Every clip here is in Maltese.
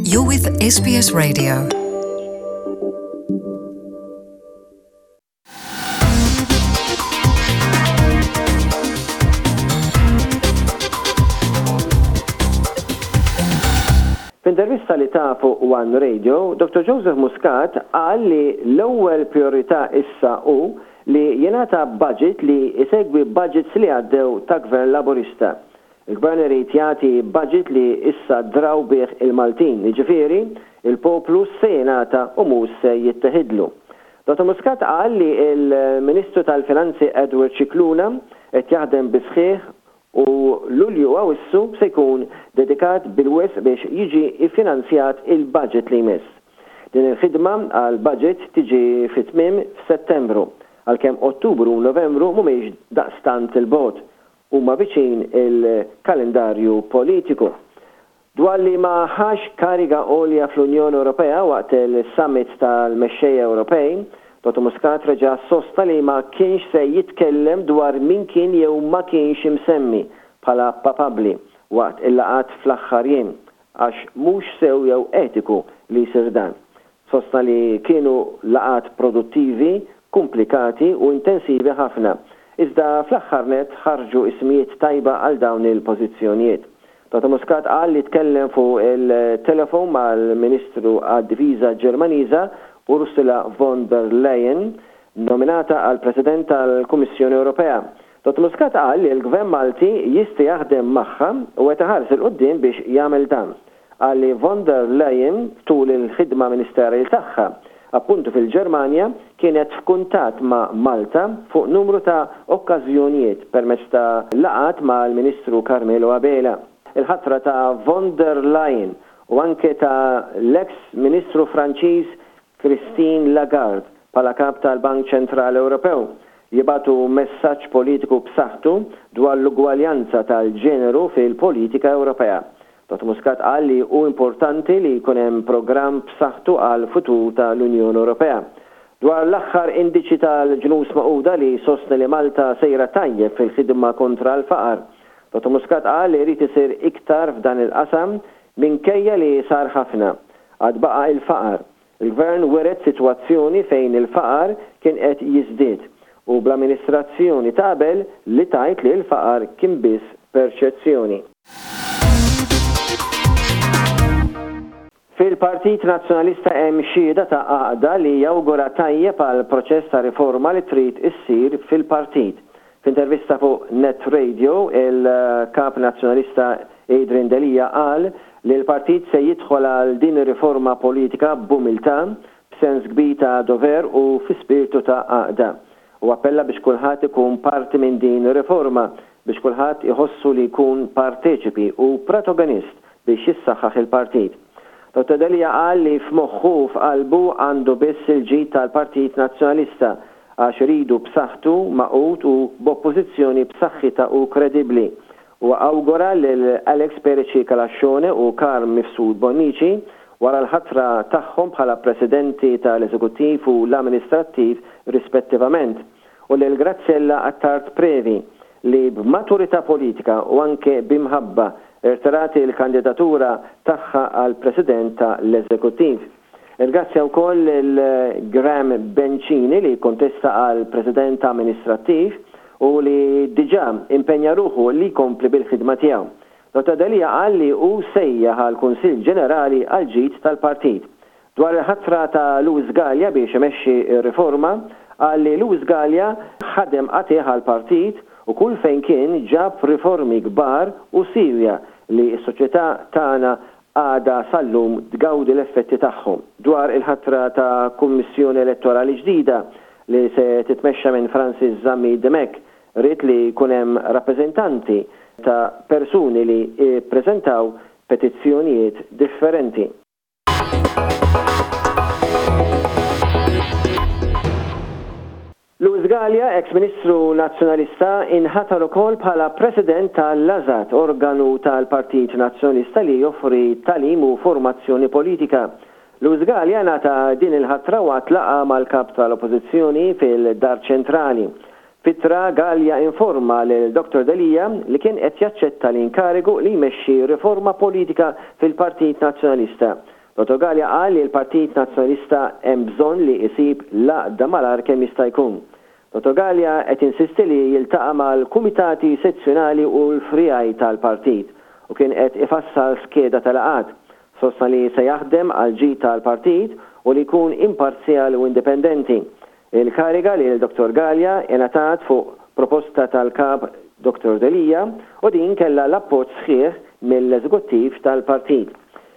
You're with SBS Radio. F'intervista li ta fuq One Radio, Dr. Joseph Muscat qal li l-ewwel priorità issa hu li jingħata budget li jsegwi budgets li għaddew ta' Gvern Laburista. Il-Gvern irid jagħti budget li issa draw bih il-Maltin, jiġifieri, il-poplu se jingħata u mhux se jitteħidlu. Dottor Muscat qal li l-Ministru tal-Finanzi Edward Scicluna qed jaħdem bis-sħiħ u Lulju u Awissu se jkun dedikat bil-wisq biex jiġi ffinanzjat il-budget li jmiss. Din il-ħidma għall-budget tiġi fi tmiem f'Settembru, għalkemm Ottubru u Novembru mhumiex daqstant 'il bogħod, huma viċin il-kalendarju politiku. Dwar li ma ħax kariga għolja fl-Unjoni Ewropea waqt il-summit tal-mexxejja Ewropej, Dottor Muscat reġa' sostna li ma kienx se jitkellem dwar min kien jew ma kienx imsemmi bħala papabbli waqt il-laqgħat fl-aħħar jiem għax mhux sew jew etiku li jsir dan. Sostna li kienu laqgħat produttivi, kumplikati u intensivi ħafna, iżda fl-aħħar nett ħarġu ismijiet tajba għal dawn il-pożizzjonijiet. Toto Muscat qal li tkellem fuq il-telefon mal-Ministru għad-Difiża Ġermaniża Ursula von der Leyen, nominata għal President tal-Kummissjoni Ewropea. Dottor Muscat qal li l-Gvern Malti jista' jaħdem magħha u qed iħares 'il quddiem biex jagħmel dan. Qal li von der Leyen tul il-ħidma ministerjali tagħha, appuntu fil-Ġermanja, kienet f'kuntatt ma' Malta fuq numru ta' okkażjonijiet permezz ta' laqgħat mal-Ministru Carmelo Abela. Il-ħatra ta' von der Leyen u anke ta' l-eks Ministru Franċiż Christine Lagarde bħala Kap tal-Bank Ċentrali Ewropew jibagħtu messaġġ politiku b'saħħtu dwar l-ugwaljanza tal-ġeneru fil-politika Ewropea. Dottor Muscat qal li hu importanti li jkun hemm programm b'saħħtu għall-futur ta' l-Unjoni Ewropea. Dwar l-aħħar indiċi tal-Ġnus Magħquda li jsostni li Malta sejra tajjeb fil-ħidma kontra l-faqar, Dottor Muscat qal li jrid isir iktar f'dan il-qasam minkejja li sar ħafna. Għad baqa' il-faqar. Il-Gvern wiret sitwazzjoni fejn il-faqar kien qed jiżdied u bl-amministrazzjoni ta' qabel li tgħid li l-faqar kien biss perċezzjoni. Fil-Partit Nazzjonalista hemm xhieda ta' għaqda li jawgura tajjeb għall-proċess ta' riforma li trid issir fil-partit. F'intervista fuq Net Radio, il-Kap Nazzjonalista Adrian Delia qal li l-partit se jidħol għal din ir-riforma politika b'umiltà, b'sens kbir ta' dover u fi spirtu ta' għaqda. Hu appella biex kulħadd ikun parti minn din ir-riforma, biex kulħadd iħossu li jkun parteċipi u pratoganist biex jissaħħaħ il-partit. Dottor Delia qal li f'moħħu u f'qalbu għandu biss il-ġid tal-Partit Nazzjonalista għax iridu b'saħħtu, magħqud u b'Oppożizzjoni b'saħħitha u kredibbli. Huwa awgura lil Alex Perici Calascione u Carm Mifsud Bonnici wara l-ħatra tagħhom bħala Presidenti tal-Eżekuttiv u l-Amministrattiv rispettivament u lil Graziella Attard Previ li b'maturità politika u anke b'imħabba rtirat il-kandidatura tagħha għal President ta' l-Eżekuttiv. Irgrazzja wkoll lil Graham Bencini li kkontesta għal President Amministrattiv u li diġà impenja ruħu li jkompli bil-ħidma tiegħu. Dottor Delia qal li hu sejjaħ għal Kunsill Ġenerali għall-ġid tal-partit. Dwar il-ħatra ta' Louis Galea biex imexxi r-riforma, qal li Louis Galea ħadem qatigħ għall-partit u kull fejn kien ġab riformi kbar u siewja li s-soċjetà tagħna għadha sal-lum tgawdi l-effetti tagħhom. Dwar il-ħatra ta' Kummissjoni Elettorali ġdida li se titmexxa minn Francis Zammit Dimech, ried li jkun hemm rappreżentanti ta' persuni li ppreżentaw petizzjonijiet differenti. Louis Galea, eks Ministru Nazzjonalista, inħatar ukoll bħala President tal-LASAT, organu tal-Partit Nazzjonalista li joffri tagħlim u formazzjoni politika. Louis Galea ngħata din il-ħatra waqt laqgħa mal-Kap tal-Oppożizzjoni fil-Dar Ċentrali. F'ittra, Galea informa lil Dottor Delia li kien qed jaċċetta l-inkarigu li jmexxi riforma politika fil-Partit Nazzjonalista. Dottor Galea qal li l-Partit Nazzjonalista hemm bżonn li jsib l-għaqda malajr kemm jista' jkun. Dottor Galea qed jinsisti li jiltaqa' mal-kumitati sezzjonali u l-friegħi tal-partit u kien qed ifassal skeda ta' laqgħat. Sostna li se jaħdem għall-ġid tal-partit u li jkun imparzjali u indipendenti. Il-kariga lil Dottor Galea ingħatat fuq proposta tal-Kap Dottor Delia u din kellha l-appoġġ sħiħ mill-Eżekuttiv tal-partit.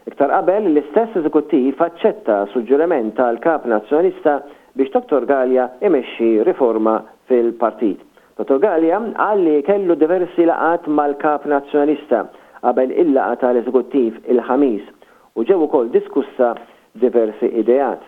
Iktar qabel, l-istess Eżekuttiv aċċetta suġġeriment tal-Kap Nazzjonalista biex Dottor Galea imexxi riforma fil-partit. Dottor Galea qal li kellu diversi laqgħat mal-Kap Nazzjonalista qabel il-laqgħa tal-Eżekuttiv il-Ħamis u ġew ukoll diskussa diversi ideat.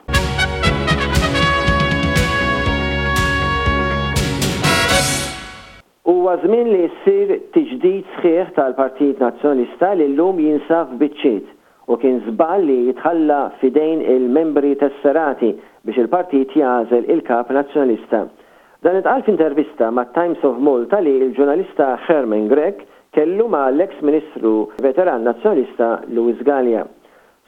Huwa żmien li ssir tiġdid sħiħ tal-Partit Nazzjonalista li llum jinsab f'biċċiet u kien żball li jitħalla f'idejn il-membri tesserati biex il-partit jagħżel il-Kap Nazzjonalista. Dan intqal f'intervista mat-Times of Malta li l-ġurnalista Herman Grech kellu ma' l-eks Ministru veteran Nazzjonalista Louis Galea.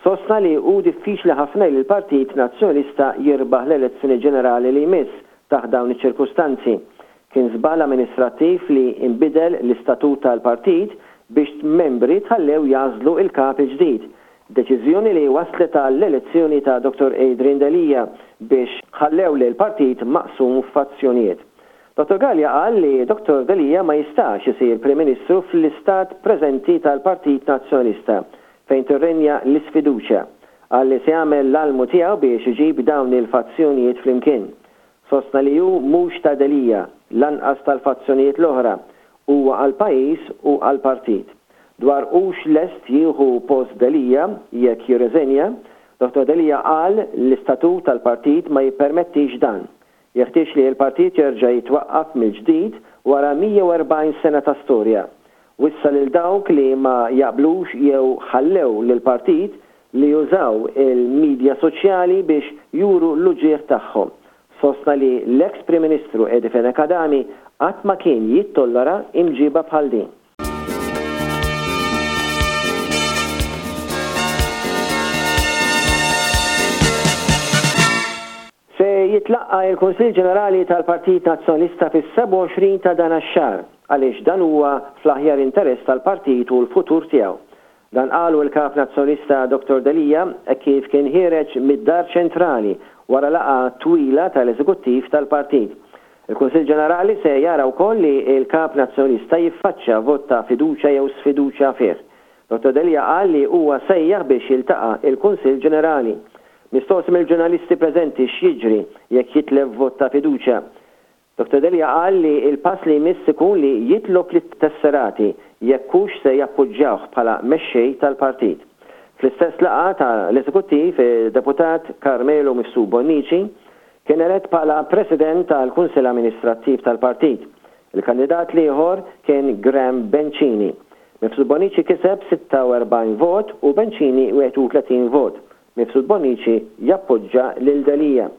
Sostna li hu diffiċli ħafna li l-Partit Nazzjonalista jirbaħ l-elezzjoni ġenerali li jmiss taħt dawn iċ-ċirkustanzi. Kien żball amministrattiv li nbidel l-istatut tal-partit biex membri tħallew jagħżlu l-Kap il-ġdid. Deċiżjoni li wasslet għall-elezzjoni ta' Dottor Adrian Delia biex ħallew lill-partit maqsum f'fazzjonijiet. Dottor Galea qal li Dottor Delia ma jistax isir Prim Ministru fl-istat preżenti tal-Partit Nazzjonalista fejn tirrenja l-isfiduċja. Qal li se jagħmel l-almu tiegħu biex iġib dawn il-fazzjonijiet flimkien. Sostna li hu mhux ta' Delia, lanqas tal-fazzjonijiet l-oħra, huwa għall-pajjiż u għall-partit. Dwar hux lest jieħu post Delia jekk jirreżenja, Dottor Delia qal l-istatut tal-partit ma jippermettix dan. Jeħtieġ li l-partit jerġa' jitwaqqaf mill-ġdid wara 140 sena ta' storja. Wissa lil dawk li ma jaqblux jew ħallew lill-partit li jużaw il-midja soċjali biex juru l-uġigħ tagħhom. Sostna li l-eks Prim Ministru Eddie Fenech Adami qatt ma kien jittollera imġiba bħal din. Se jitlaqqa' il-Kunsill Ġenerali tal-Partit Nazzjonalista fis-27 ta' dan ax-xahar għaliex dan huwa fl-aħjar interess tal-partit u l-futur tiegħu. Dan qalu l-Kap Nazzjonalista Dottor Delia hekk kif kien ħiereġ mid-Dar Ċentrali wara laqgħa twila tal-Eżekuttiv tal-Partit. Il-Kunsill Ġenerali se jara wkoll li l-Kap Nazzjonalista jiffaċċja vot ta' fiduċja jew sfiduċja fih. Dottor Delia qal li huwa sejjaħ biex jiltaqa' il-Kunsill Ġenerali. Mistoqsi mill-ġurnalisti preżenti x'jiġri jekk jitlef vot ta' fiduċja, Dottor Delia qal li l-pass li jmiss ikun li jitlob lit-tesserati jekk hux se jappoġġjawh bħala mexxej tal-partit. Fl-istess laqgħa ta' l-Eżekuttiv, id-Deputat Carmelo Mifsud Bonnici kien elett bħala President tal-Kunsill Amministrattiv tal-partit. Il-kandidat l-ieħor kien Graham Bencini. Mifsud Bonnici kiseb 46 vot u Bencini 31 vot. Mifsud Bonnici jappoġġa lil Delia.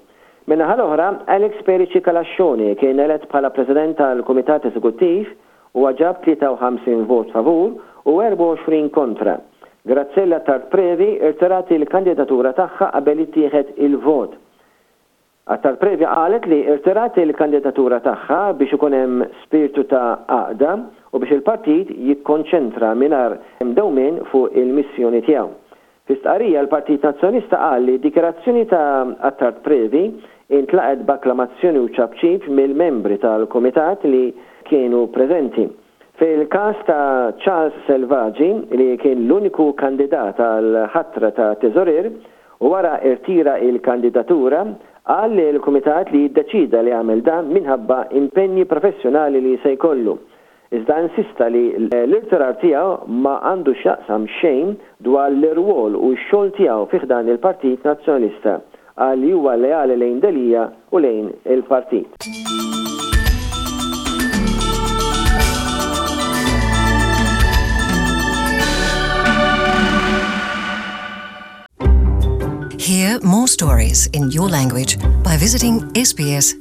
Min-naħa l-oħra, Alex Perici Calascione kien elett bħala President tal-Kumitat Eżekuttiv, huwa ġab 53 vot favur u 24 kontra. Graziella Attard Previ rtirat il-kandidatura tagħha qabel ittieħed il-vot. Attard Previ qalet li rtirat il-kandidatura tagħha biex ikun hemm spirtu ta' għaqda u biex il-partit jikkonċentra mingħajr dewmien fuq il-missjoni tiegħu. Fi stqarrija l-Partit Nazzjonalista qal li d-dikjarazzjoni ta' Attard Previ intlaqgħet b'akklamazzjoni u ċapċip mill-membri tal-kumitat li kienu preżenti. Fil-każ ta' Charles Selvaggi, li kien l-uniku kandidat għall-ħatra ta' teżorier u wara rtira l-kandidatura, qal lill-kumitat li ddeċieda li jagħmel dan minħabba impenji professjonali li se jkollu. Iżda insista li l-irtirar tiegħu ma għandu x'jaqsam xejn dwar l-irwol u x-xogħol tiegħu fi ħdan il-Partit Nazzjonalista. Qal li huwa leali lejn Delia u lejn il-partit. Hear more stories in your language by visiting sbs.com.au.